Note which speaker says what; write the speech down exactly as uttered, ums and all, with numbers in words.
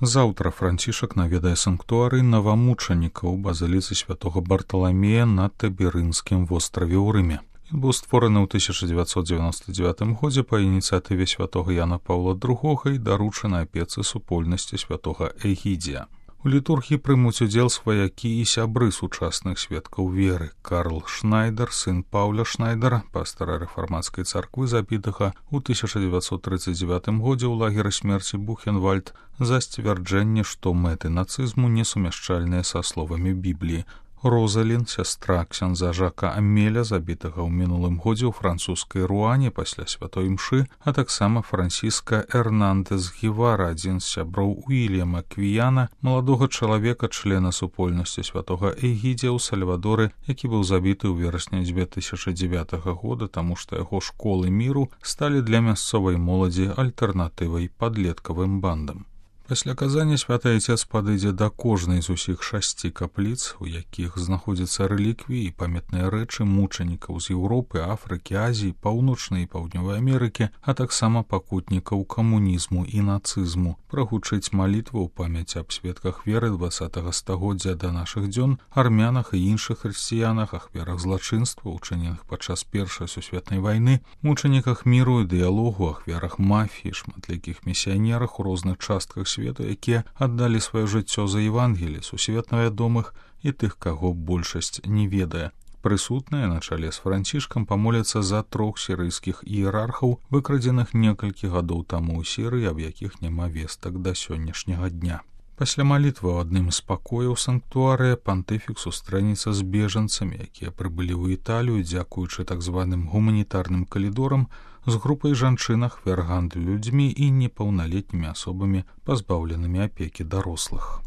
Speaker 1: Заўтра Францішак наведае санктуарый новамучанікаў базыліцы святого Барталамея на Таберынскім востраве ў Рыме. Ён быў створаны ў тысяча дзевяцьсот дзевяносто дзевятым годзе па ініцыятыве святого Яна Паўла другога і даручаны апецы супольнасці святого Эгідзія. У літургіі прымуць удзел сваякі і сябры сучасных сведкаў веры. Карл Шнайдер, сын Паўля Шнайдера, пастара рэфармацкай царквы, забітага ў тысяча дзевяцьсот трыццаць дзевятым годзе ў лагеры смерці Бухенвальд за сцвярджэнне, што мэты нацызму несумяшчальныя са словамі Бібліі. Розалін, сястра ксяндза Жака Амеля, забітага ў мінулым годзе ў французскай Руане пасля святой мшы, а таксама Франсіска Эрнандес Гівара, адзін з сяброў Уільяма Квіяна, маладога чалавека, члена супольнасці святога Эгідзія ў Сальвадоры, які быў забіты ў верасні дзве тысячы дзевятага года, таму што яго школы міру сталі для мясцовай моладзі альтэрнатывай падлеткавым бандам. Пасля казання святы Айцец падыдзе да кожнай з усіх шасці капліц, у якіх знаходзяцца рэліквіі і памятныя рэчы мучанікаў з Еўропы, Афрыкі, Азіі, Паўночнай і Паўднёвай Амерыкі, а таксама пакутнікаў камунізму і нацызму, прагучыць малітву ў памяць аб сведках веры дваццатага стагоддзя да нашых дзён, армянах і іншых хрысціянах, ахвярах злачынства, учыненых падчас Першай сусветнай вайны, мучаніках міру і дыялогу, ахвярах мафіі, шматлікіх місіянерах у розных частках свету, якія аддалі сваё жыццё за Евангелі, сусветна вядомых і тых, каго большасць не ведае. Прысутныя на чале з Францішкам памоляцца за трох сірыйскіх іерархаў, выкрадзеных некалькі гадоў таму ў Сірыі, аб якіх няма вестак да сённяшняга дня. Пасля малітвы ў адным з пакояў санктуарыя пантыфік сустрэнецца з бежанцамі, якія прыбылі ў Італію, дзякуючы так званым гуманітарным калідорам, з групай жанчын ахвяр гандлю людзьмі і непаўналетнімі асобамі, пазбаўленымі апекі дарослых.